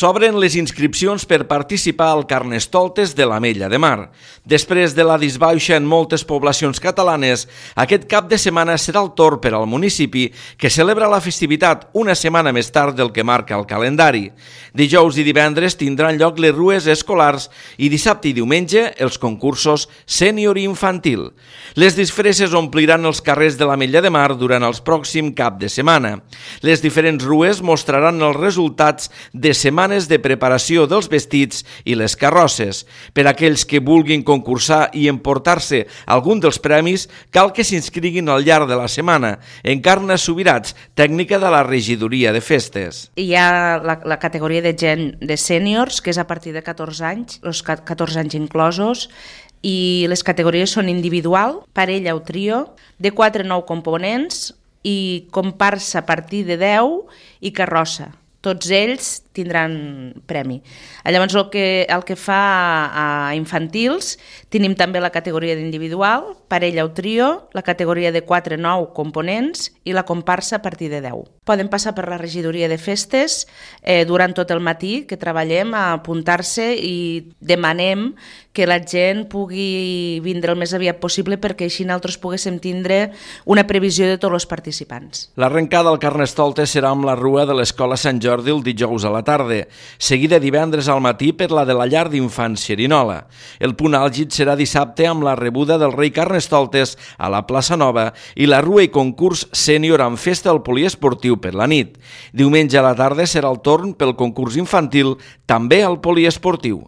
S'obren les inscripcions per participar al Carnestoltes de l'Ametlla de Mar. Després de la disbauxa en moltes poblacions catalanes, aquest cap de setmana serà el torn per al municipi, que celebra la festivitat una setmana més tard del que marca el calendari. Dijous i divendres tindran lloc les rues escolars i dissabte i diumenge els concursos sènior i infantil. Les disfresses ompliran els carrers de l'Ametlla de Mar durant el pròxim cap de setmana. Les diferents rues mostraran els resultats de setmanes de preparació dels vestits i les carrosses. Per a aquells que vulguin concursar i emportar-se algun dels premis, cal que s'inscriguin al llarg de la setmana. Encarna Subirats, tècnica de la regidoria de festes. Hi ha la categoria de gent de sèniors, que és a partir de 14 anys, els 14 anys inclosos, i les categories són individual, parella o trio, de 4 a 9 components i comparsa a partir de 10 i carrossa. Tots ells tindran premi. Llavors, el que fa a infantils, tenim també la categoria d'individual, parella o trio, la categoria de 4 a 9 components i la comparsa a partir de 10. Poden passar per la regidoria de festes durant tot el matí, que treballem a apuntar-se i demanem que la gent pugui vindre el més aviat possible perquè així nosaltres poguéssim tindre una previsió de tots els participants. L'arrencada al Carnestoltes serà amb la rua de l'Escola Sant Jordi el dijous a la tarda, seguida divendres al matí per la de la llar d'infants Xerinola. El punt àlgid serà dissabte amb la rebuda del rei Carnestoltes a la plaça Nova i la rua i concurs sènior amb festa al poliesportiu per la nit. Diumenge a la tarda serà el torn pel concurs infantil, també al poliesportiu.